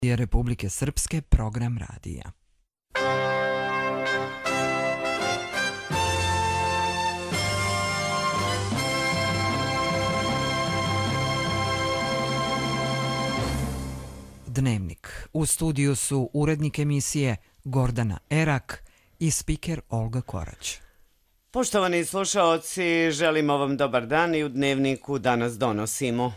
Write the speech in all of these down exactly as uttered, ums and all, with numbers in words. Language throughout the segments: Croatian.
je Republike Srpske program radija. Dnevnik. U studiju su urednik emisije Gordana Erak i spiker Olga Korać. Poštovani slušaoci, želimo vam dobar dan i u Dnevniku danas donosimo.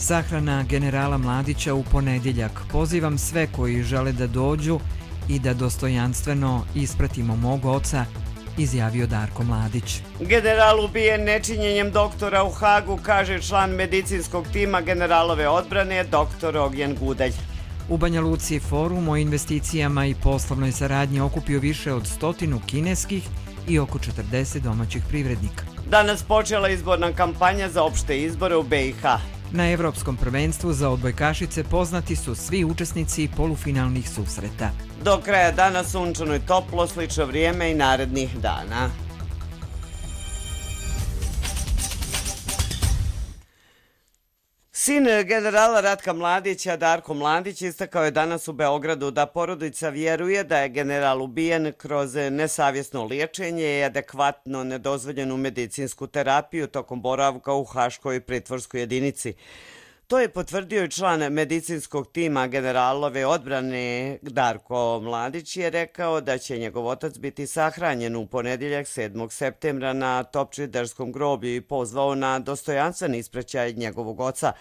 Sahrana generala Mladića u ponedjeljak. Pozivam sve koji žele da dođu i da dostojanstveno ispratimo mog oca, izjavio Darko Mladić. General ubijen nečinjenjem doktora u Hagu, kaže član medicinskog tima generalove odbrane doktor Ognjen Gudelj. U Banja Luci forum o investicijama i poslovnoj saradnji okupio više od stotinu kineskih i oko četrdeset domaćih privrednika. Danas počela izborna kampanja za opšte izbore u be i ha. Na Evropskom prvenstvu za odbojkašice poznati su svi učesnici polufinalnih susreta. Do kraja dana sunčano i toplo, slično vrijeme i narednih dana. Sin generala Ratka Mladića, Darko Mladić, istakao je danas u Beogradu da porodica vjeruje da je general ubijen kroz nesavjesno liječenje i adekvatno nedozvoljenu medicinsku terapiju tokom boravka u haškoj pritvorskoj jedinici. To je potvrdio i član medicinskog tima generalove odbrane Darko Mladić je rekao da će njegov otac biti sahranjen u ponedjeljak sedmog septembra na Topčiderskom groblju i pozvao na dostojanstven ispraćaj njegovog oca.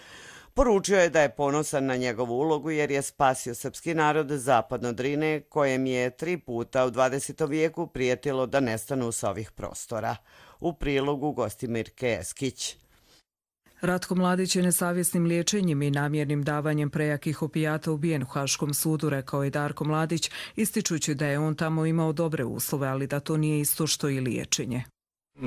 Poručio je da je ponosan na njegovu ulogu jer je spasio srpski narod zapadno Drine, kojem je tri puta u dvadesetom vijeku prijetilo da nestanu sa ovih prostora. U prilogu Gostimirke Eskić. Ratko Mladić je nesavjesnim liječenjem i namjernim davanjem prejakih opijata ubijen u Haškom sudu, rekao je Darko Mladić, ističući da je on tamo imao dobre uslove, ali da to nije isto što i liječenje.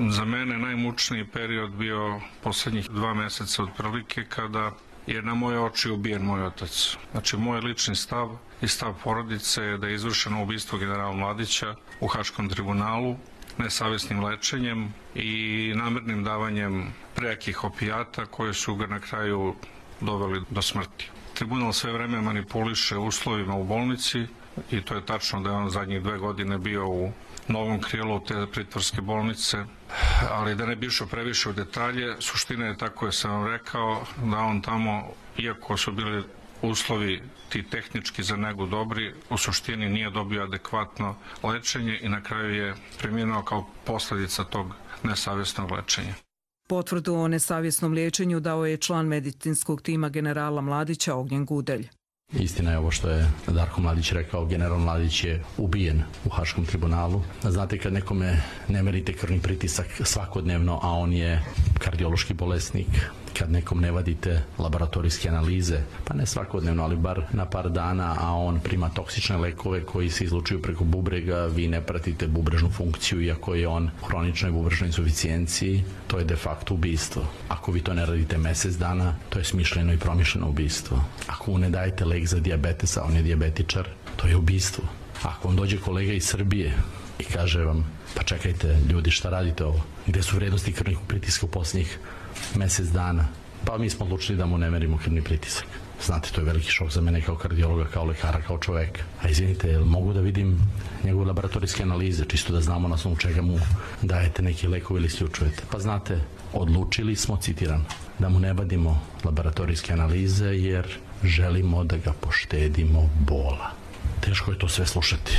Za mene najmučniji period bio posljednjih dva mjeseca otprilike kada je na moje oči ubijen moj otac. Znači, moj lični stav i stav porodice je da je izvršeno ubistvo generala Mladića u Haškom tribunalu nesavjesnim lečenjem i namjernim davanjem prejakih opijata koje su ga na kraju doveli do smrti. Tribunal sve vreme manipuliše uslovima u bolnici i to je tačno da je on zadnjih dve godine bio u novom krilu te pritvorske bolnice, ali da ne bi išao previše u detalje, suština je, tako je sam vam rekao, da on tamo, iako su bili uslovi ti tehnički za negu dobri, u suštini nije dobio adekvatno lečenje i na kraju je preminuo kao posljedica tog nesavjesnog lečenja. Potvrdu o nesavjesnom liječenju dao je član medicinskog tima generala Mladića Ognjen Gudelj. Istina je ovo što je Darko Mladić rekao, general Mladić je ubijen u Haškom tribunalu. Znate, kad nekome ne merite krvni pritisak svakodnevno, a on je kardiološki bolesnik, kad nekom ne vadite laboratorijske analize, pa ne svakodnevno, ali bar na par dana, a on prima toksične lekove koji se izlučuju preko bubrega, vi ne pratite bubrežnu funkciju, iako je on u hroničnoj bubrežnoj insuficijenciji, to je de facto ubistvo. Ako vi to ne radite mjesec dana, to je smišljeno i promišljeno ubistvo. Ako mu ne dajete lek za dijabetes, a on je dijabetičar, to je ubistvo. Ako vam dođe kolega iz Srbije i kaže vam, pa čekajte ljudi, šta radite ovo? Gde su vrednosti krvnih pritiska u posljednjih mjesec dana? Pa mi smo odlučili da mu ne merimo krvni pritisak. Znate, to je veliki šok za mene kao kardiologa, kao lekara, kao čoveka. A izvinite, jel mogu da vidim njegove laboratorijske analize, čisto da znamo na osnovu čega mu dajete neki lekovi ili isključujete? Pa znate, odlučili smo, citiram, da mu ne vadimo laboratorijske analize jer želimo da ga poštedimo bola. Teško je to sve slušati,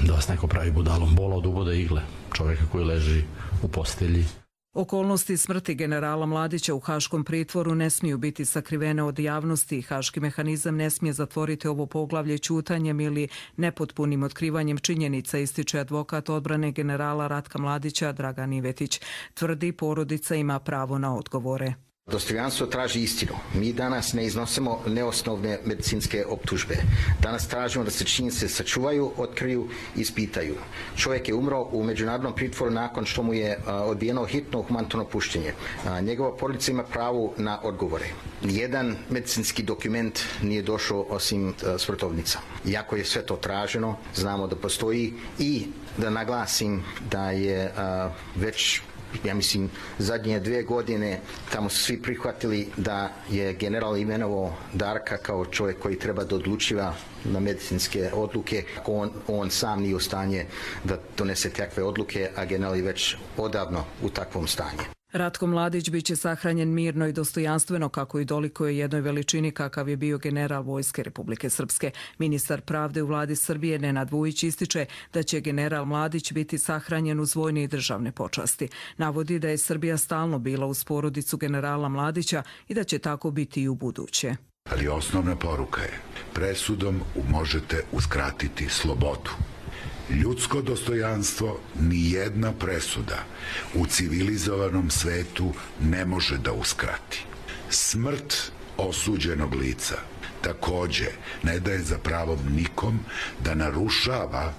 da vas neko pravi budalom. Bola od uboda igle, čovjeka koji leži u postelji. Okolnosti smrti generala Mladića u Haškom pritvoru ne smiju biti sakrivene od javnosti i haški mehanizam ne smije zatvoriti ovo poglavlje ćutanjem ili nepotpunim otkrivanjem činjenica, ističe advokat odbrane generala Ratka Mladića Dragan Ivetić. Tvrdi, porodica ima pravo na odgovore. Dostojanstvo traži istinu. Mi danas ne iznosimo neosnovne medicinske optužbe. Danas tražimo da se činjenice sačuvaju, otkriju i ispitaju. Čovjek je umro u međunarodnom pritvoru nakon što mu je odbijeno hitno humanitarno puštenje. Njegova porodica ima pravo na odgovore. Nijedan medicinski dokument nije došao osim smrtovnica. Iako je sve to traženo, znamo da postoji i da naglasim da je već Ja mislim, zadnje dvije godine tamo su svi prihvatili da je general imenovao Darka kao čovjek koji treba da odlučiva na medicinske odluke. On, on sam nije u stanje da donese takve odluke, a general je već odavno u takvom stanju. Ratko Mladić biće sahranjen mirno i dostojanstveno kako i dolikuje jednoj veličini kakav je bio general Vojske Republike Srpske. Ministar pravde u vladi Srbije Nenad Vujić ističe da će general Mladić biti sahranjen uz vojne i državne počasti. Navodi da je Srbija stalno bila uz porodicu generala Mladića i da će tako biti i u buduće. Ali osnovna poruka je, presudom možete uskratiti slobodu. Ljudsko dostojanstvo nijedna presuda u civilizovanom svetu ne može da uskrati. Smrt osuđenog lica takođe ne daje za pravo nikom da narušava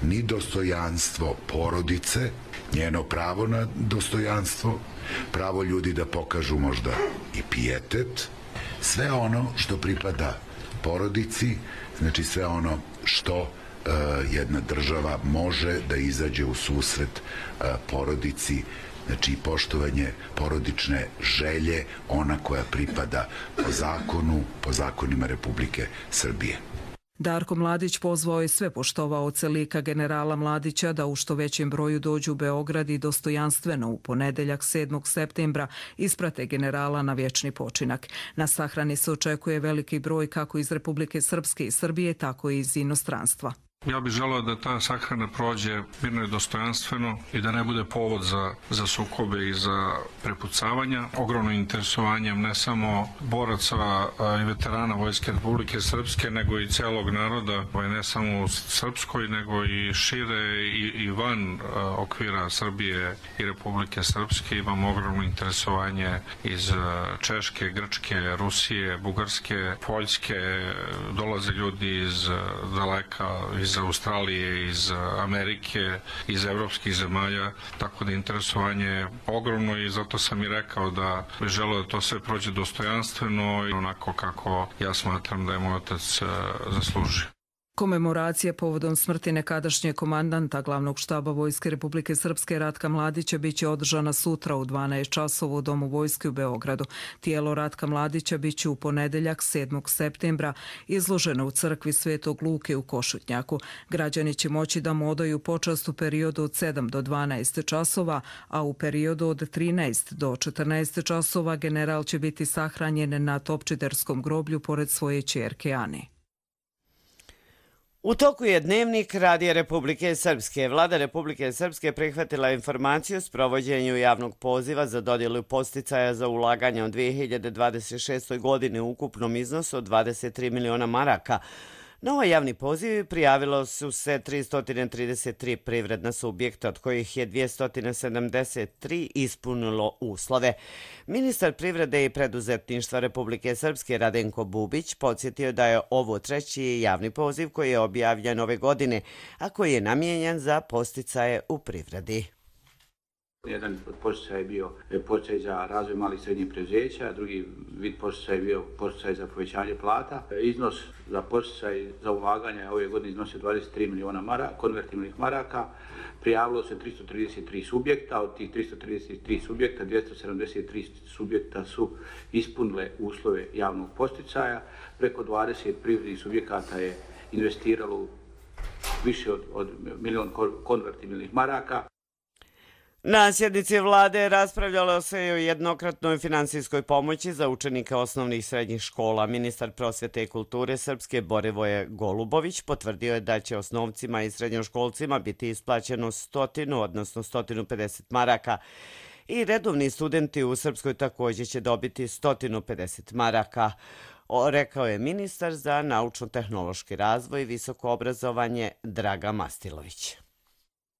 ni dostojanstvo porodice, njeno pravo na dostojanstvo, pravo ljudi da pokažu možda i pijetet, sve ono što pripada porodici, znači sve ono što jedna država može da izađe u susret porodici, znači poštovanje porodične želje, ona koja pripada po zakonu, po zakonima Republike Srbije. Darko Mladić pozvao je sve poštovaoce lika generala Mladića da u što većem broju dođu u Beograd i dostojanstveno u ponedeljak sedmog septembra isprate generala na vječni počinak. Na sahrani se očekuje veliki broj kako iz Republike Srpske i Srbije, tako i iz inostranstva. Ja bih želeo da ta sahrana prođe mirno i dostojanstveno i da ne bude povod za, za sukobe i za prepucavanja. Ogromno interesovanjem ne samo boraca i veterana Vojske Republike Srpske, nego i celog naroda, ne samo u Srpskoj, nego i šire i, i van okvira Srbije i Republike Srpske. Imamo ogromno interesovanje iz Češke, Grčke, Rusije, Bugarske, Poljske. Dolaze ljudi iz daleka, iz Australije, iz Amerike, iz evropskih zemalja, tako da interesovanje je ogromno i zato sam i rekao da bih želeo da to sve prođe dostojanstveno i onako kako ja smatram da je moj otac zaslužio. Komemoracija povodom smrti nekadašnjeg komandanta glavnog štaba Vojske Republike Srpske Ratka Mladića biće održana sutra u dvanaest časova u Domu Vojske u Beogradu. Tijelo Ratka Mladića biće u ponedeljak sedmog septembra izloženo u crkvi Svetog Luke u Košutnjaku. Građani će moći da mu odaju počast u periodu od sedam do dvanaest časova, a u periodu od trinaest do četrnaest časova general će biti sahranjen na Topčiderskom groblju pored svoje ćerke Ane. U toku je Dnevnik Radija Republike Srpske. Vlada Republike Srpske prihvatila informaciju o sprovođenju javnog poziva za dodjelu podsticaja za ulaganje u dvije hiljade dvadeset šestoj. godini u ukupnom iznosu od dvadeset tri miliona maraka. Na ovaj javni poziv prijavilo su se tristo trideset tri privredna subjekta, od kojih je dvjesto sedamdeset tri ispunilo uslove. Ministar privrede i preduzetništva Republike Srpske Radenko Bubić podsjetio da je ovo treći javni poziv koji je objavljen ove godine, a koji je namijenjen za podsticaje u privredi. Jedan od podsticaja je bio podsticaj za razvoj malih i srednjih preduzeća, drugi vid podsticaja je bio podsticaj za povećanje plata. Iznos za podsticaj za ulaganje ove godine iznosio dvadeset tri miliona maraka, konvertibilnih maraka. Prijavilo se tristo trideset tri subjekta, od tih tristo trideset tri subjekta dvjesto sedamdeset tri subjekta su ispunile uslove javnog podsticaja. Preko dvadeset privrednih subjekata je investiralo više od, od milion konvertibilnih maraka. Na sjednici vlade raspravljalo se i o jednokratnoj finansijskoj pomoći za učenike osnovnih i srednjih škola. Ministar prosvjete i kulture Srpske Borivoje Golubović potvrdio je da će osnovcima i srednjoškolcima biti isplaćeno stotinu, odnosno stotinu pedeset maraka. I redovni studenti u Srpskoj također će dobiti stotinu pedeset maraka. O, rekao je ministar za naučno-tehnološki razvoj i visoko obrazovanje Draga Mastilović.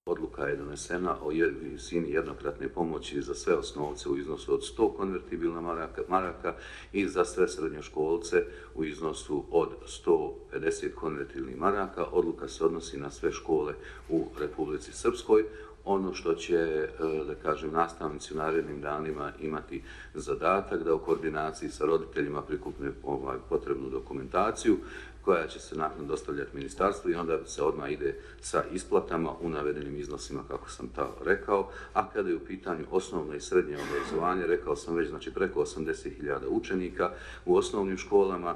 Odluka je donesena o visini jednokratne pomoći za sve osnovce u iznosu od sto konvertibilna maraka, maraka i za sve srednjoškolce u iznosu od sto pedeset konvertibilnih maraka. Odluka se odnosi na sve škole u Republici Srpskoj. ono što će, da kažem, nastavnici u narednim danima imati zadatak da u koordinaciji sa roditeljima prikupne ovaj, potrebnu dokumentaciju koja će se nakon dostavljati ministarstvu i onda se odmah ide sa isplatama u navedenim iznosima, kako sam to rekao. A kada je u pitanju osnovno i srednje obrazovanje, rekao sam već, znači preko osamdeset hiljada učenika u osnovnim školama,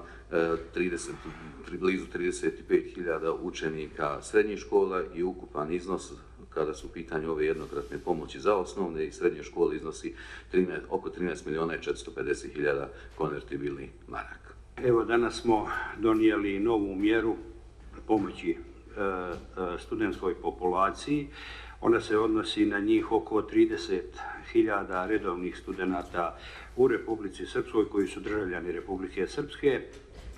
trideset, blizu trideset pet hiljada učenika srednjih škola i ukupan iznos kada su u pitanju ove jednokratne pomoći za osnovne i srednje škole iznosi trinaest, oko trinaest milijuna i četiristo pedeset hiljada konvertibilnih maraka. Evo, danas smo donijeli novu mjeru pomoći e, e, studentskoj populaciji. Ona se odnosi na njih oko trideset hiljada redovnih studenata u Republici Srpskoj koji su državljani Republike Srpske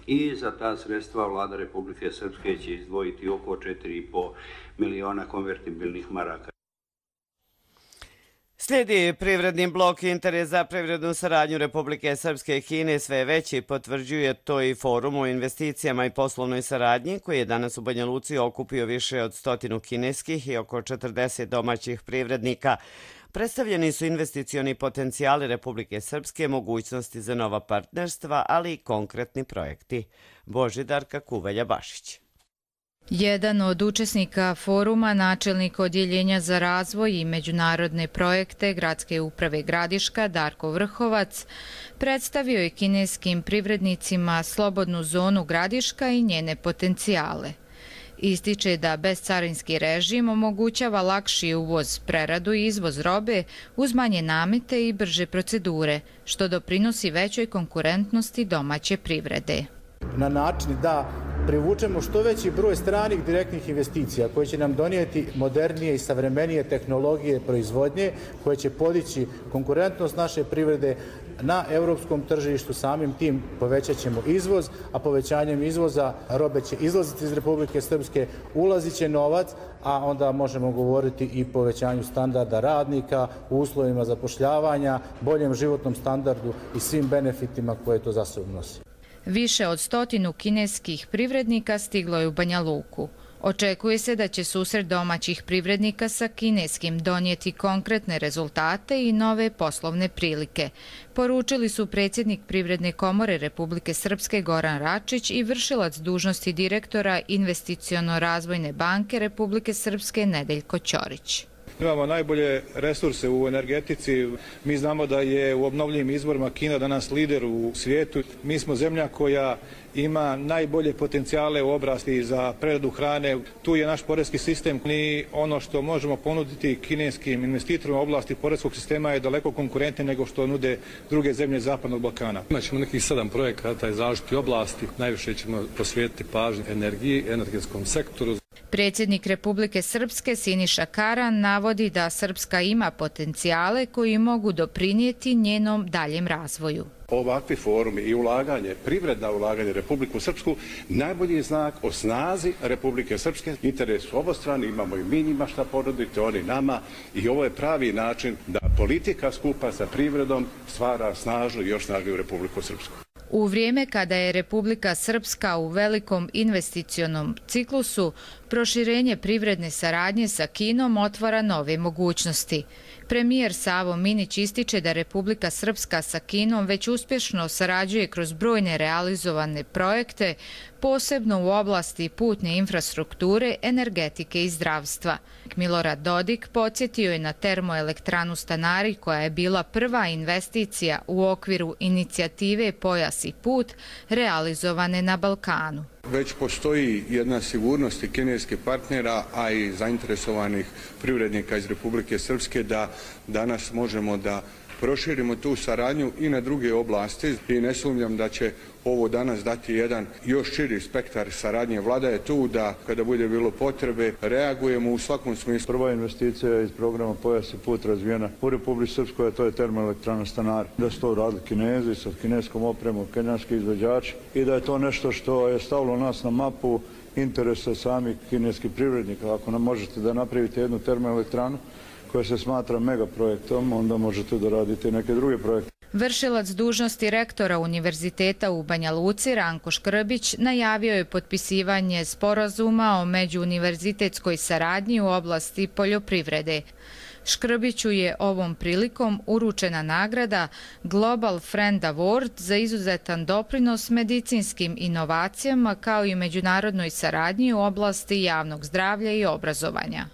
i za ta sredstva vlada Republike Srpske će izdvojiti oko četiri i po miliona konvertibilnih maraka. Slijedi privredni blok. Interes za privrednu saradnju Republike Srpske i Kine sve veći, potvrđuje to i Forum o investicijama i poslovnoj saradnji koji je danas u Banja Luci okupio više od stotinu kineskih i oko četrdeset domaćih privrednika. Predstavljeni su investicioni potencijali Republike Srpske, mogućnosti za nova partnerstva, ali i konkretni projekti. Božidarka Kuvelja-Bašić. Jedan od učesnika foruma, načelnik Odjeljenja za razvoj i međunarodne projekte Gradske uprave Gradiška, Darko Vrhovac, predstavio je kineskim privrednicima slobodnu zonu Gradiška i njene potencijale. Ističe da bezcarinski režim omogućava lakši uvoz, preradu i izvoz robe uz manje namete i brže procedure, što doprinosi većoj konkurentnosti domaće privrede. Na način da privučemo što veći broj stranih direktnih investicija koje će nam donijeti modernije i savremenije tehnologije proizvodnje, koje će podići konkurentnost naše privrede na europskom tržištu. Samim tim povećat ćemo izvoz, a povećanjem izvoza robe će izlaziti iz Republike Srpske, ulazit će novac, a onda možemo govoriti i povećanju standarda radnika, u uslovima zapošljavanja, boljem životnom standardu i svim benefitima koje to za sobom nosi. Više od stotinu kineskih privrednika stiglo je u Banja Luku. Očekuje se da će susret domaćih privrednika sa kineskim donijeti konkretne rezultate i nove poslovne prilike. Poručili su predsjednik Privredne komore Republike Srpske Goran Račić i vršilac dužnosti direktora Investiciono-razvojne banke Republike Srpske Nedeljko Ćorić. Imamo najbolje resurse u energetici. Mi znamo da je u obnovljivim izvorima Kina danas lider u svijetu. Mi smo zemlja koja ima najbolje potencijale u oblasti za preradu hrane. Tu je naš porezki sistem i ono što možemo ponuditi kineskim investitorima u oblasti porezkog sistema je daleko konkurentnije nego što nude druge zemlje Zapadnog Balkana. Imaćemo nekih sedam projekata iz različitih oblasti. Najviše ćemo posvetiti pažnju energiji, energetskom sektoru. Predsjednik Republike Srpske Siniša Karan navodi da Srpska ima potencijale koji mogu doprinijeti njenom daljem razvoju. Ovakvi forumi i ulaganje, privredna ulaganje Republiku Srpsku, najbolji je znak o snazi Republike Srpske. Interes su obostrani, imamo i mi njima šta ponuditi, oni nama, i ovo je pravi način da politika skupa sa privredom stvara snažnu i još snažniju Republiku Srpsku. U vrijeme kada je Republika Srpska u velikom investicionom ciklusu, proširenje privredne saradnje sa Kinom otvara nove mogućnosti. Premijer Savo Minić ističe da Republika Srpska sa Kinom već uspješno sarađuje kroz brojne realizovane projekte, posebno u oblasti putne infrastrukture, energetike i zdravstva. Milorad Dodik podsjetio je na termoelektranu Stanari koja je bila prva investicija u okviru inicijative Pojas i put realizovane na Balkanu. Već postoji jedna sigurnost i kineskih partnera, a i zainteresovanih privrednika iz Republike Srpske da danas možemo da proširimo tu saradnju i na druge oblasti i ne sumnjam da će ovo danas dati jedan još širi spektar saradnje. Vlada je tu da kada bude bilo potrebe reagujemo u svakom smislu. Prva investicija iz programa Pojas i put razvijena u Republici Srpskoj, a to je termoelektrana Stanari. Da su to radili Kinezi sa kineskom opremom, kenjanski izvođači i da je to nešto što je stavilo nas na mapu interesa samih kineskih privrednika. Ako nam možete da napravite jednu termoelektranu koja se smatra megaprojektom, onda možete da radite neke druge projekte. Vršilac dužnosti rektora Univerziteta u Banja Luci Ranko Škrbić najavio je potpisivanje sporazuma o međuuniverzitetskoj saradnji u oblasti poljoprivrede. Škrbiću je ovom prilikom uručena nagrada Global Friend Award za izuzetan doprinos medicinskim inovacijama kao i međunarodnoj saradnji u oblasti javnog zdravlja i obrazovanja.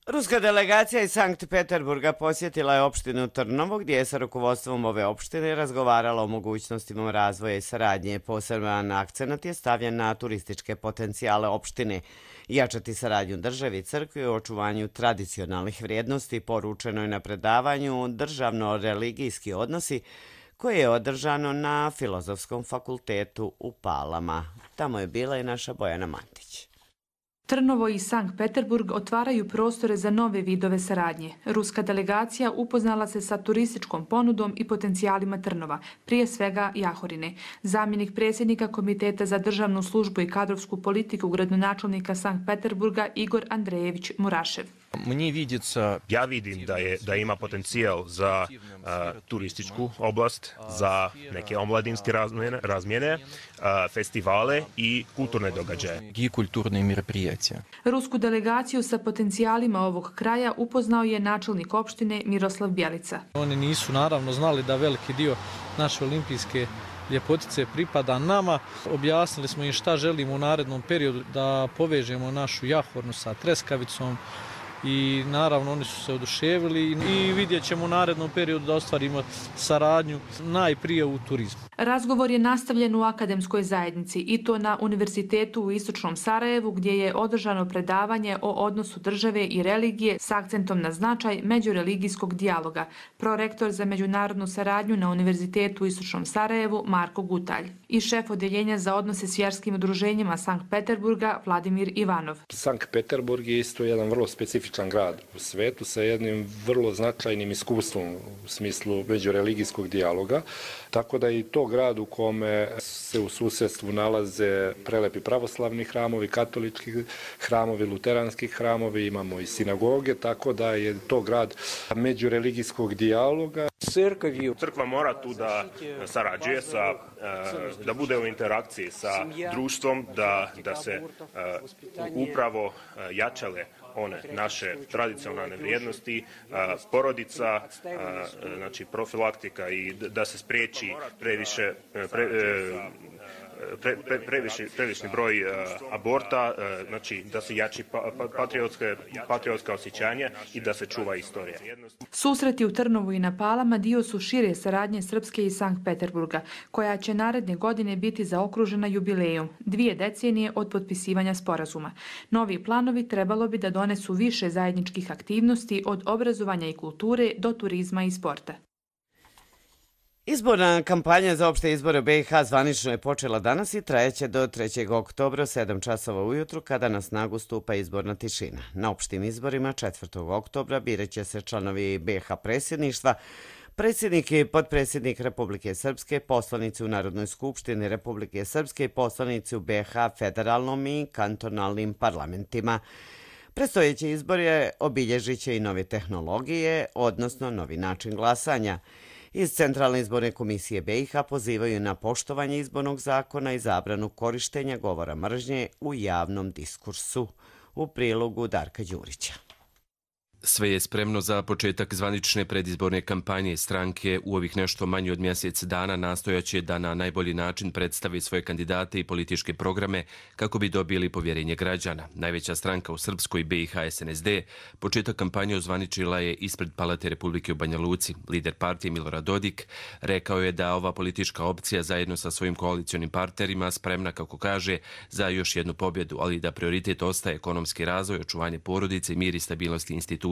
Ruska delegacija iz Sankt Peterburga posjetila je opštinu Trnovo, gdje je sa rukovodstvom ove opštine razgovarala o mogućnostima razvoja i saradnje. Poseban akcenat je stavljen na turističke potencijale opštine. Jačati saradnju državi i crkvi u očuvanju tradicionalnih vrijednosti poručeno je na predavanju Državno-religijski odnosi koje je održano na Filozofskom fakultetu u Palama. Tamo je bila i naša Bojana Mantić. Trnovo i Sankt Peterburg otvaraju prostore za nove vidove saradnje. Ruska delegacija upoznala se sa turističkom ponudom i potencijalima Trnova, prije svega Jahorine. Zamjenik predsjednika Komiteta za državnu službu i kadrovsku politiku gradonačelnika Sankt Peterburga Igor Andrejević Murašev. Ja vidim da, je, da ima potencijal za uh, turističku oblast, za neke omladinske razmjene, razmjene uh, festivale i kulturne događaje. Rusku delegaciju sa potencijalima ovog kraja upoznao je načelnik opštine Miroslav Bjelica. Oni nisu naravno znali da veliki dio naše olimpijske ljepotice pripada nama. Objasnili smo im šta želimo u narednom periodu da povežemo našu Jahornu sa treskavicom i naravno oni su se oduševili i vidjet ćemo u narednom periodu da ostvarimo saradnju najprije u turizmu. Razgovor je nastavljen u akademskoj zajednici i to na Univerzitetu u Istočnom Sarajevu gdje je održano predavanje o odnosu države i religije s akcentom na značaj međureligijskog dijaloga. Prorektor za međunarodnu saradnju na Univerzitetu u Istočnom Sarajevu Marko Gutalj i šef odeljenja za odnose s vjerskim udruženjima Sankt Peterburga Vladimir Ivanov. Sankt Peterburg je isto jedan vrlo specifičan grad u svetu sa jednim vrlo značajnim iskustvom u smislu međureligijskog dijaloga, tako da i to grad u kome se u susjedstvu nalaze prelepi pravoslavni hramovi, katolički hramovi, luteranski hramovi, imamo i sinagoge, tako da je to grad međureligijskog dijaloga. Crkva mora tu da sarađuje, sa, da bude u interakciji sa društvom, da, da se upravo jačale one naše tradicionalne vrijednosti, porodica, znači profilaktika i da se spriječi previše pre, pre, pre, previše, previšni broj uh, aborta, uh, znači da se jači pa, pa, patriotske, patriotska osjećanja i da se čuva istorija. Susreti u Trnovu i na Palama dio su šire saradnje Srpske i Sankt Peterburga, koja će naredne godine biti zaokružena jubilejom, dvije decenije od potpisivanja sporazuma. Novi planovi trebalo bi da donesu više zajedničkih aktivnosti od obrazovanja i kulture do turizma i sporta. Izborna kampanja za opšte izbore u B i H zvanično je počela danas i trajeće do trećeg oktobra sedam časova ujutru kada na snagu stupa izborna tišina. Na opštim izborima četvrtog oktobra biraće se članovi B i H predsjedništva, predsjednik i potpredsjednik Republike Srpske, poslanici u Narodnoj skupštini Republike Srpske i poslanici u B i H federalnom i kantonalnim parlamentima. Predstojeći izbore obilježit će i nove tehnologije, odnosno novi način glasanja. Iz Centralne izborne komisije B i H pozivaju na poštovanje izbornog zakona i zabranu korištenja govora mržnje u javnom diskursu. U prilogu Darka Đurića. Sve je spremno za početak zvanične predizborne kampanje. Stranke u ovih nešto manje od mjesec dana nastojaće da na najbolji način predstavi svoje kandidate i političke programe kako bi dobili povjerenje građana. Najveća stranka u Srpskoj B i H S N S D početak kampanje ozvaničila je ispred Palate Republike u Banja Luci. Lider partije Milorad Dodik rekao je da ova politička opcija zajedno sa svojim koalicionim partnerima spremna, kako kaže, za još jednu pobjedu, ali da prioritet ostaje ekonomski razvoj, očuvanje porodice, mir i stabilnosti institucija.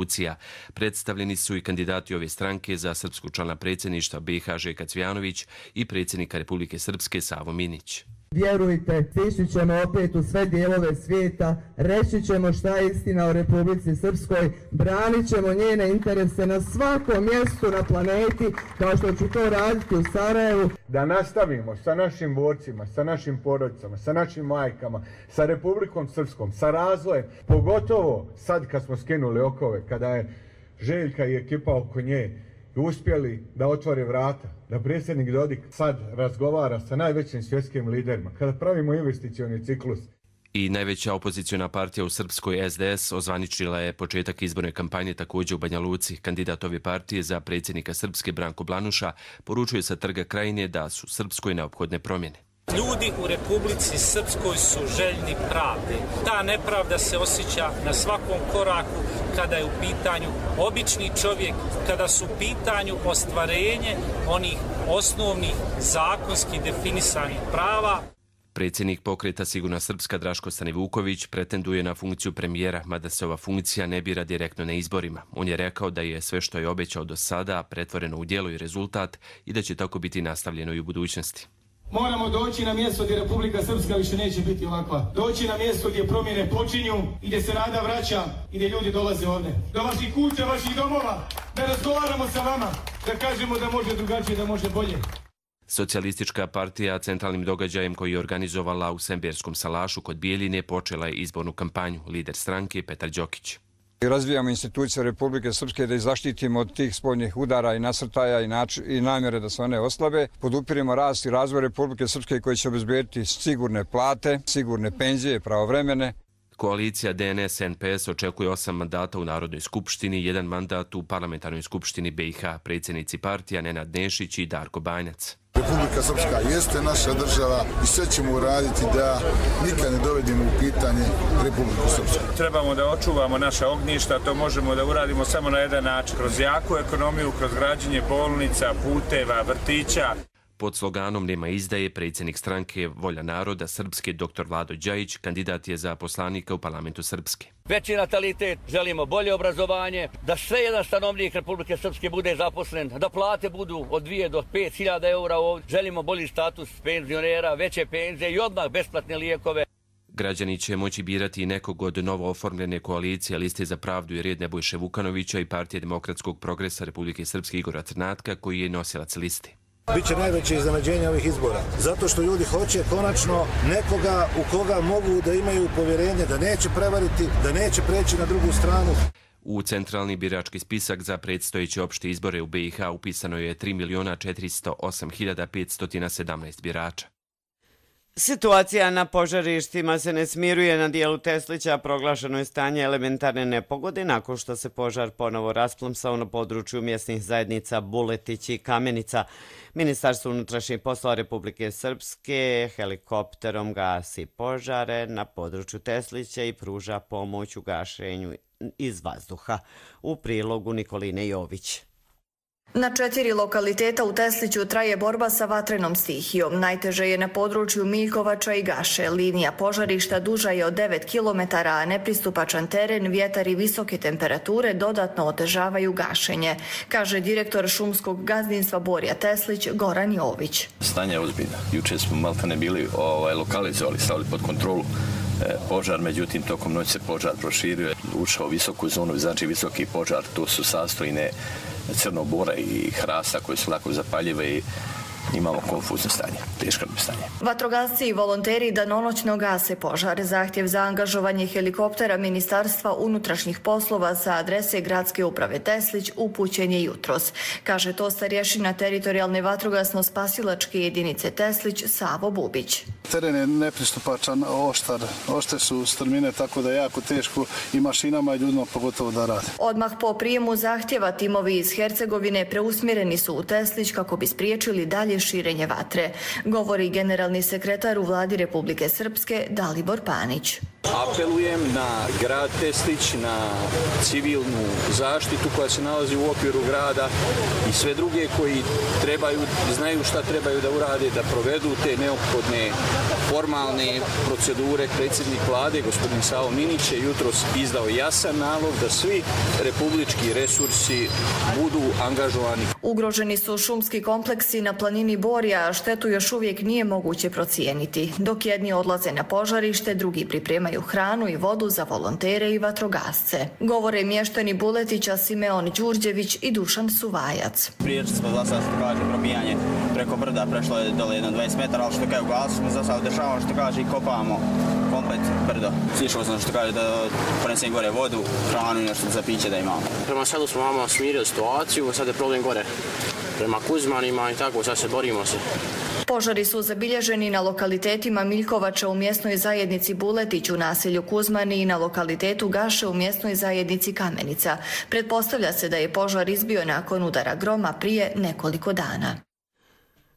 Predstavljeni su i kandidati ove stranke za srpskog člana predsjedništva B i H Željka Cvijanović i predsjednika Republike Srpske Savo Minić. Vjerujte, stići ćemo opet u sve dijelove svijeta, reći ćemo šta je istina o Republici Srpskoj, branit ćemo njene interese na svakom mjestu na planeti, kao što ću to raditi u Sarajevu. Da nastavimo sa našim borcima, sa našim porodicama, sa našim majkama, sa Republikom Srpskom, sa razvojem, pogotovo sad kad smo skinuli okove, kada je Željka i ekipa oko nje uspjeli da otvore vrata, da predsjednik Dodik sad razgovara sa najvećim svjetskim liderima, kada pravimo investicioni ciklus. I najveća opoziciona partija u Srpskoj S D S ozvaničila je početak izborne kampanje također u Banja Luci. Kandidat ove partije za predsjednika Srpske Branko Blanuša poručuje sa Trga Krajine da su Srpskoj neophodne promjene. Ljudi u Republici Srpskoj su željni pravde. Ta nepravda se osjeća na svakom koraku kada je u pitanju obični čovjek, kada su u pitanju ostvarenje onih osnovnih zakonski definisanih prava. Predsjednik pokreta Sigurna Srpska Draško Stanivuković pretenduje na funkciju premijera, mada se ova funkcija ne bira direktno na izborima. On je rekao da je sve što je obećao do sada pretvoreno u djelo i rezultat i da će tako biti nastavljeno i u budućnosti. Moramo doći na mjesto gdje Republika Srpska više neće biti ovakva. Doći na mjesto gdje promjene počinju i gdje se nada vraća i gdje ljudi dolaze ovdje. Do vaših kuća, vaših domova, da razgovaramo sa vama, da kažemo da može drugačije, da može bolje. Socijalistička partija centralnim događajem koji je organizovala u Semberskom salašu kod Bijeljine počela je izbornu kampanju. Lider stranke Petar Đokić. Razvijamo institucije Republike Srpske da ih zaštitimo od tih spoljnih udara i nasrtaja i, i namjere da se one oslabe. Podupiremo rast i razvoj Republike Srpske koji će obezbediti sigurne plate, sigurne penzije, pravovremene. Koalicija D N S N P S očekuje osam mandata u Narodnoj skupštini, jedan mandat u Parlamentarnoj skupštini B i H. Predsjednici partija Nenad Nešić i Darko Banjac. Republika Srpska jeste naša država i sve ćemo uraditi da nikad ne dovedemo u pitanje Republiku Srpsku. Trebamo da očuvamo naša ognjišta, to možemo da uradimo samo na jedan način. Kroz jaku ekonomiju, kroz građenje bolnica, puteva, vrtića. Pod sloganom Nema izdaje, predsjednik stranke Volja naroda Srpske dr Vlado Đajić kandidat je za poslanika u parlamentu Srpske. Veći natalitet, želimo bolje obrazovanje, da sve jedan stanovnik Republike Srpske bude zaposlen, da plate budu od dvije do pet hiljada eura ovdje. Želimo bolji status penzionera, veće penzije i odmah besplatne lijekove. Građani će moći birati i nekog od novo oformljene koalicije Liste za pravdu i red Nebojše Vukanovića i Partije demokratskog progresa Republike Srpske Igora Crnatka koji je nosilac liste. Biće najveće iznenađenje ovih izbora, zato što ljudi hoće konačno nekoga u koga mogu da imaju povjerenje, da neće prevariti, da neće preći na drugu stranu. U centralni birački spisak za predstojeće opšte izbore u B i H upisano je tri miliona četiristo osam hiljada petsto sedamnaest birača. Situacija na požarištima se ne smiruje. Na dijelu Teslića proglašeno je stanje elementarne nepogode nakon što se požar ponovo rasplamsao na području mjesnih zajednica Buletić i Kamenica. Ministarstvo unutrašnjih poslova Republike Srpske helikopterom gasi požare na području Teslića i pruža pomoć u gašenju iz vazduha. U prilogu Nikoline Jović. Na četiri lokaliteta u Tesliću traje borba sa vatrenom stihijom. Najteže je na području Miljkovača i Gaše. Linija požarišta duža je od devet kilometara, a nepristupačan teren, vjetar i visoke temperature dodatno otežavaju gašenje, kaže direktor šumskog gazdinstva Borja Teslić Goran Jović. Stanje je ozbiljno. Juče smo maltene bili ovaj, lokalizovali, stavili pod kontrolu požar, međutim tokom noći se požar proširio, ušao u visoku zonu, znači visoki požar, to su sastojine crnog bora i hrasta koje su lako zapaljive i imamo konfuzno stanje, teško stanje. Vatrogasci i volonteri danonoćno gase požar. Zahtjev za angažovanje helikoptera Ministarstva unutrašnjih poslova sa adrese Gradske uprave Teslić upućen je jutros, kaže to starješina teritorijalne vatrogasno-spasilačke jedinice Teslić Savo Bubić. Teren je nepristupačan, oštar, ošte su strmine, tako da je jako teško i mašinama i ljudima pogotovo da rade. Odmah po prijemu zahtjeva timovi iz Hercegovine preusmjereni su u Teslić kako bi spriječili dalje širenje vatre, govori generalni sekretar u vladi Republike Srpske Dalibor Panić. Apelujem na grad Teslić, na civilnu zaštitu koja se nalazi u okviru grada i sve druge koji trebaju, znaju šta trebaju da urade, da provedu te neophodne formalne procedure. Predsjednik vlade, gospodin Savo Minić, je jutros izdao jasan nalog da svi republički resursi budu angažovani. Ugroženi su šumski kompleksi na planini planini Borja štetu još uvijek nije moguće procijeniti. Dok jedni odlaze na požarište, drugi pripremaju hranu i vodu za volontere i vatrogasce. Govore mještani Buletića Simeon Đurđević i Dušan Suvajac. Priječi smo za sad, što kaže, probijanje preko brda, prešlo je dole jedno dvadeset metara, ali što kaže, ugasili smo za sad, dešavamo što kaže i kopavamo komplet brdo. Slišao sam što kaže da ponesem gore vodu, hranu i nešto za piće da imamo. Prema selu smo vama smirili situaciju, sad je problem gore prema Kuzmanima i tako, sad se borimo se. Požari su zabilježeni na lokalitetima Miljkovača u mjesnoj zajednici Buletić u naselju Kuzmani i na lokalitetu Gaše u mjesnoj zajednici Kamenica. Pretpostavlja se da je požar izbio nakon udara groma prije nekoliko dana.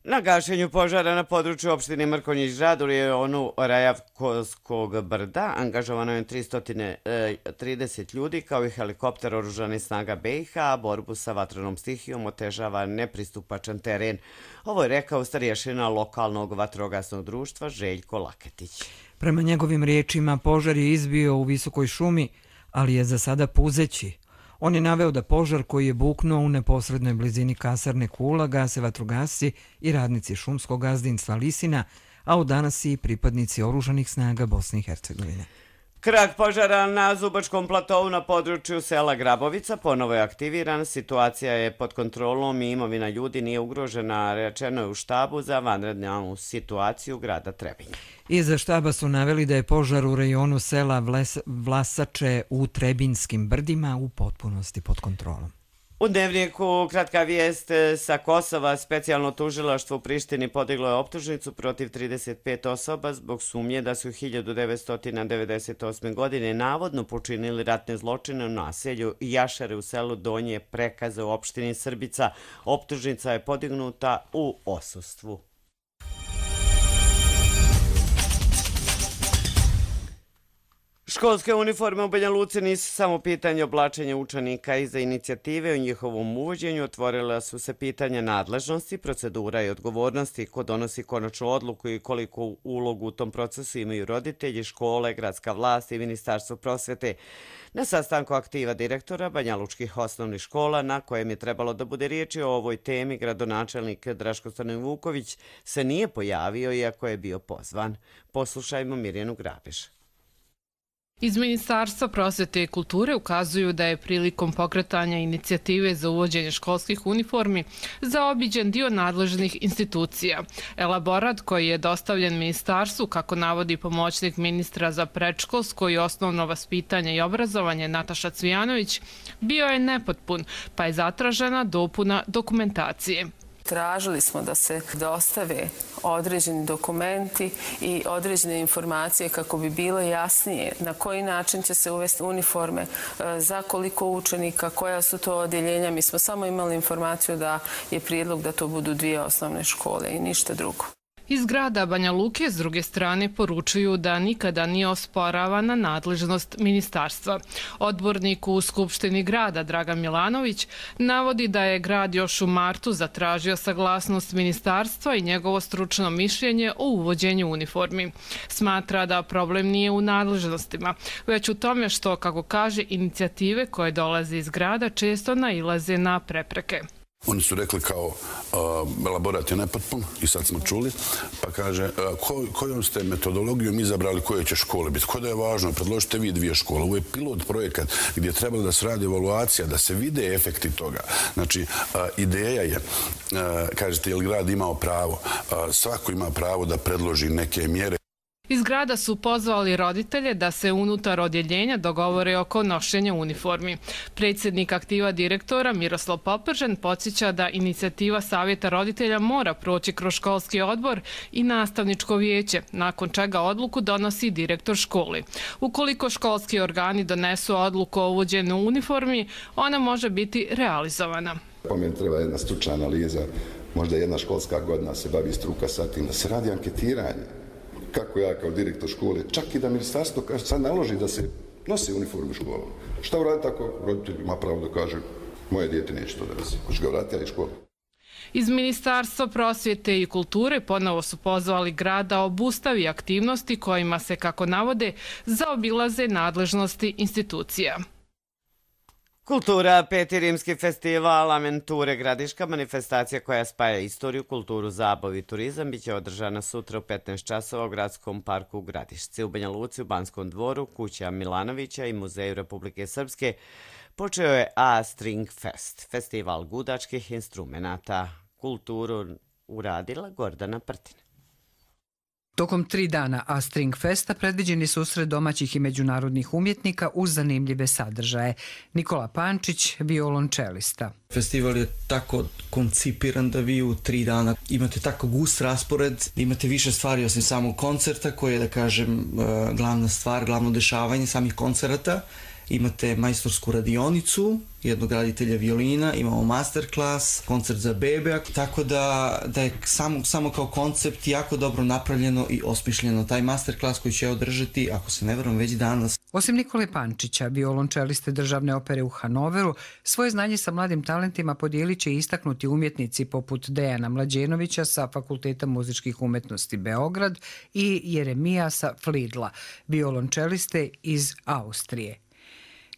Na gašenju požara na području opštine Mrkonjić Grad u rejonu Rajavkovskog brda angažovano je tristo trideset ljudi kao i helikopter oružanih snaga B i H, a borbu sa vatrenom stihijom otežava nepristupačan teren. Ovo je rekao starješina lokalnog vatrogasnog društva Željko Laketić. Prema njegovim riječima požar je izbio u visokoj šumi, ali je za sada puzeći. On je naveo da požar koji je buknuo u neposrednoj blizini kasarne Kula gase vatrogasci i radnici šumskog gazdinstva Lisina, a od danas i pripadnici oružanih snaga Bosne i Hercegovine. Krak požara na Zubačkom platovu na području sela Grabovica ponovo je aktiviran. Situacija je pod kontrolom i imovina ljudi nije ugrožena, rečeno je u štabu za vanrednu situaciju grada Trebinje. Iza štaba su naveli da je požar u rejonu sela Vlasače u Trebinjskim brdima u potpunosti pod kontrolom. U Dnevniku kratka vijest sa Kosova. Specijalno tužilaštvo u Prištini podiglo je optužnicu protiv trideset pet osoba zbog sumnje da su hiljadu devetsto devedeset osme. godine navodno počinili ratne zločine u naselju Jašare u selu Donje Prekaze u opštini Srbica. Optužnica je podignuta u odsustvu. Školske uniforme u Banja Luci nisu samo pitanje oblačenja učenika. Iza inicijative o njihovom uvođenju otvorila su se pitanja nadležnosti, procedura i odgovornosti, ko donosi konačnu odluku i koliko ulogu u tom procesu imaju roditelji, škole, gradska vlast i Ministarstvo prosvete. Na sastanku aktiva direktora banjalučkih osnovnih škola, na kojem je trebalo da bude riječi o ovoj temi, gradonačelnik Draško Stanojevuković se nije pojavio iako je bio pozvan. Poslušajmo Mirjanu Grabiš. Iz Ministarstva prosvete i kulture ukazuju da je prilikom pokretanja inicijative za uvođenje školskih uniformi zaobiđen dio nadležnih institucija. Elaborat koji je dostavljen Ministarstvu, kako navodi pomoćnik ministra za predškolsko i osnovno vaspitanje i obrazovanje Nataša Cvijanović, bio je nepotpun, pa je zatražena dopuna dokumentacije. Tražili smo da se dostave određeni dokumenti i određene informacije kako bi bilo jasnije na koji način će se uvesti uniforme, za koliko učenika, koja su to odjeljenja. Mi smo samo imali informaciju da je prijedlog da to budu dvije osnovne škole i ništa drugo. Iz grada Banja Luke s druge strane poručuju da nikada nije osporavana nadležnost ministarstva. Odbornik u Skupštini grada Dragan Milanović navodi da je grad još u martu zatražio saglasnost ministarstva i njegovo stručno mišljenje o uvođenju uniformi. Smatra da problem nije u nadležnostima, već u tome što, kako kaže, inicijative koje dolaze iz grada često nailaze na prepreke. Oni su rekli kao uh, elaborat je nepotpun i sad smo čuli, pa kaže uh, ko, kojom ste metodologijom izabrali koje će škole biti. Ko da je važno, predložite vi dvije škole. Ovo je pilot projekat gdje je trebalo da se radi evaluacija, da se vide efekti toga. Znači, uh, ideja je, uh, kažete, je li grad imao pravo? Uh, svako ima pravo da predloži neke mjere. Iz grada su pozvali roditelje da se unutar odjeljenja dogovore oko nošenja uniformi. Predsjednik aktiva direktora Miroslav Popržan podsjeća da inicijativa Savjeta roditelja mora proći kroz školski odbor i nastavničko vijeće, nakon čega odluku donosi direktor škole. Ukoliko školski organi donesu odluku o uvođenju uniformi, ona može biti realizovana. Po meni treba jedna stručna analiza, možda jedna školska godina se bavi struka sa tim, da se radi anketiranje. Kako ja kao direktor škole, čak i da ministarstvo sad naloži da se nosi uniformu u školu. Šta uraditi tako? Roditelj ima pravo da kaže, moje dijete neće to da nosi. Hoće ga vratiti iz škole. Iz Ministarstva prosvjete i kulture ponovo su pozvali grad da obustavi aktivnosti kojima se, kako navode, zaobilaze nadležnosti institucija. Kultura, peti rimski festival Aventure Gradiška, manifestacija koja spaja istoriju, kulturu, zabavu i turizam, biće održana sutra u petnaest časova u Gradskom parku u Gradišci. U Banja Luci, u Banskom dvoru, kuća Milanovića i Muzeju Republike Srpske počeo je A String Fest, festival gudačkih instrumenata. Kulturu uradila Gordana Prtina. Tokom tri dana A String Festa predviđeni susret domaćih i međunarodnih umjetnika uz zanimljive sadržaje. Nikola Pančić, violončelista. Festival je tako koncipiran da vi u tri dana imate tako gust raspored, imate više stvari osim samog koncerta koje je, da kažem, glavna stvar, glavno dešavanje samih koncerata. Imate majstorsku radionicu, jednog raditelja violina, imamo masterclass, koncert za bebe, tako da, da je samo, samo kao koncept jako dobro napravljeno i osmišljeno. Taj masterclass koji će održati, ako se ne varam, već danas. Osim Nikole Pančića, violončeliste Državne opere u Hanoveru, svoje znanje sa mladim talentima podijelit će istaknuti umjetnici poput Dejana Mlađenovića sa Fakulteta muzičkih umetnosti Beograd i Jeremijasa Flidla, violončeliste iz Austrije.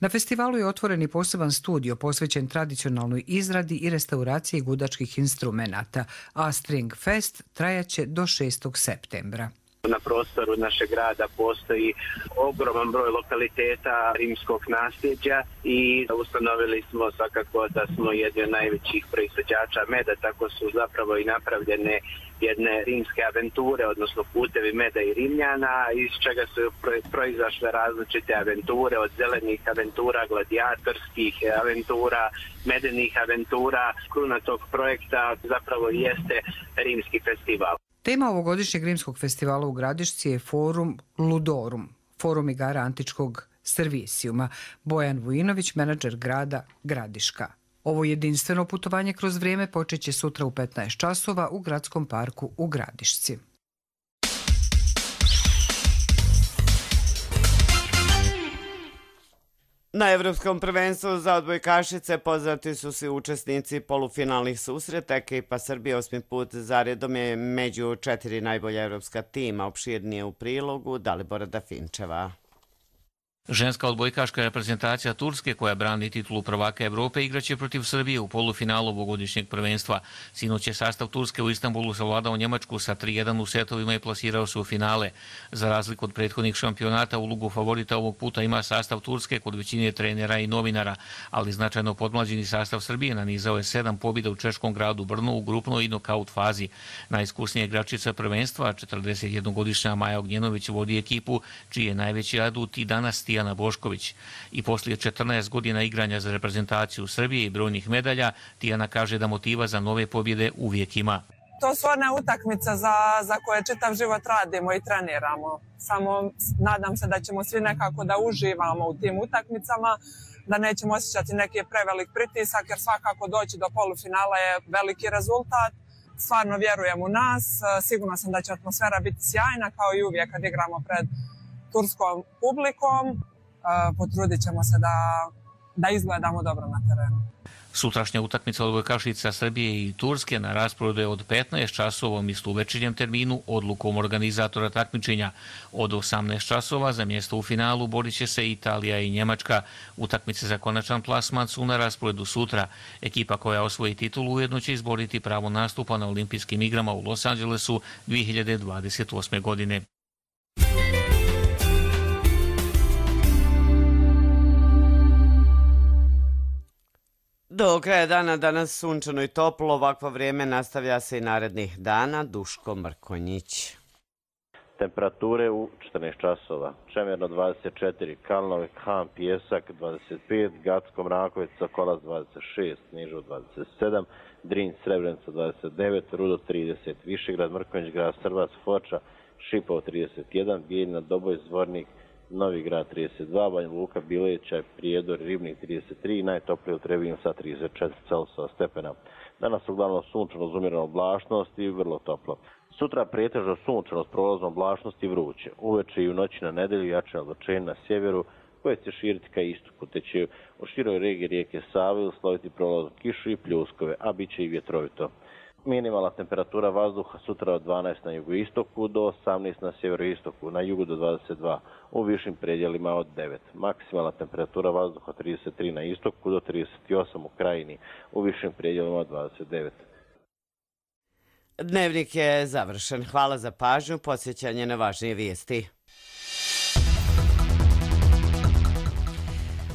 Na festivalu je otvoren i poseban studio posvećen tradicionalnoj izradi i restauraciji gudačkih instrumenata, a String Fest trajaće do šestog septembra. Na prostoru našeg grada postoji ogroman broj lokaliteta rimskog nasljeđa i ustanovili smo svakako da smo jedni od najvećih proizvođača meda, tako su zapravo i napravljene jedne rimske aventure, odnosno putevi meda i Rimljana, iz čega su proizašle različite aventure, od zelenih aventura, gladijatorskih aventura, medenih aventura. Kruna tog projekta zapravo jeste rimski festival. Tema ovogodišnjeg rimskog festivala u Gradišci je Forum Ludorum, forum igara antičkog servisijuma. Bojan Vujinović, menadžer grada Gradiška. Ovo jedinstveno putovanje kroz vrijeme počeće sutra u petnaest časova u Gradskom parku u Gradišci. Na Evropskom prvenstvu za odbojkašice poznati su svi učesnici polufinalnih susreta. Ekipa Srbije osmi put zaredom je među četiri najbolja evropska tima. Opširnije u prilogu Dalibora Dafinčeva. Ženska odbojkaška reprezentacija Turske, koja brani titulu prvaka Evrope, igraće protiv Srbije u polufinalu ovogodišnjeg prvenstva. Sinoć je sastav Turske u Istanbulu savladao Njemačku sa tri jedan u setovima i plasirao se u finale. Za razliku od prethodnih šampionata, ulogu favorita ovog puta ima sastav Turske kod većine trenera i novinara, ali značajno podmlađeni sastav Srbije nanizao je sedam pobjeda u češkom gradu Brnu u grupnoj i nokaut fazi. Najiskusnija igračica prvenstva, četrdesetjednogodišnja Maja Ognjenović, vodi ekipu, čiji je najveći adut i danas Tijana Bošković. I poslije četrnaest godina igranja za reprezentaciju Srbije i brojnih medalja, Tijana kaže da motiva za nove pobjede uvijek ima. To su one utakmice za, za koje čitav život radimo i treniramo. Samo nadam se da ćemo svi nekako da uživamo u tim utakmicama, da nećemo osjećati neki prevelik pritisak, jer svakako doći do polufinala je veliki rezultat. Stvarno vjerujem u nas, sigurno sam da će atmosfera biti sjajna kao i uvijek kad igramo pred turskom publikom. Potrudit ćemo se da, da izgledamo dobro na terenu. Sutrašnja utakmica odbojkašica Srbije i Turske na rasporedu je od petnaest časova u istovečernjem terminu odlukom organizatora takmičenja. Od osamnaest časova za mjesto u finalu borit će se Italija i Njemačka. Utakmice za konačan plasman su na rasporedu sutra. Ekipa koja osvoji titulu ujedno će izboriti pravo nastupa na olimpijskim igrama u Los Angelesu dvije hiljade dvadeset osme. godine. Do kraja dana danas sunčano i toplo, ovakvo vrijeme nastavlja se i narednih dana. Duško Mrkonjić. Temperature u četrnaest časova. Čemerno dvadeset četiri, Kalnovi, Han, Pijesak dvadeset pet, Gacko, Mraković, Sokolac dvadeset šest, Nižo dvadeset sedam, Drin, Srebrenica dvadeset devet, Rudo trideset, Višegrad, Mrkonjić, Grad Srbac, Foča, Šipov trideset jedan, Bijeljina, Doboj, Zvornik, Novi Grad trideset dva, Banja Luka, Bileća, Prijedor, Ribnik trideset tri, najtoplije u Trebinju sa trideset četiri Celsijusa stepena. Danas uglavnom sunčano uz umjerenu oblačnost i vrlo toplo. Sutra pretežno sunčano s prolaznom oblačnosti i vruće. Uveče i u noći na nedelju jače oblačenje na sjeveru koje će širiti ka istoku, te će u široj regiji rijeke Save usloviti prolaznu kišu i pljuskove, a bit će i vjetrovito. Minimalna temperatura vazduha sutra od dvanaest na jugoistoku do osamnaest na sjeveroistoku, na jugu do dvadeset dva, u višim predjelima od devet. Maksimalna temperatura vazduha trideset tri na istoku do trideset osam u krajini, u višim predjelima od dvadeset devet. Dnevnik je završen. Hvala za pažnju, podsjećanje na važnije vijesti.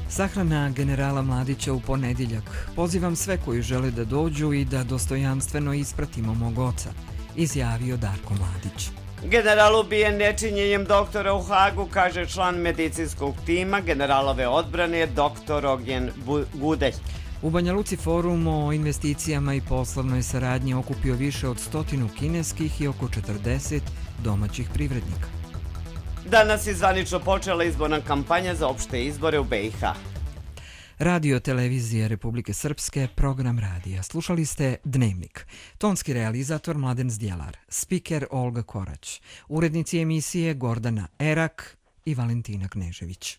Sahrana generala Mladića u ponedjeljak. Pozivam sve koji žele da dođu i da dostojanstveno ispratimo mog oca, izjavio Darko Mladić. General ubijen nečinjenjem doktora u Hagu, kaže član medicinskog tima generalove odbrane doktor Ognjen Gudelj. U Banja Luci forum o investicijama i poslovnoj saradnji okupio više od stotinu kineskih i oko četrdeset domaćih privrednika. Danas je zvanično počela izborna kampanja za opšte izbore u B i H. Radio televizije Republike Srpske, program radija. Slušali ste Dnevnik. Tonski realizator Mladen Zdjelar, spiker Olga Korać, urednici emisije Gordana Erak i Valentina Knežević.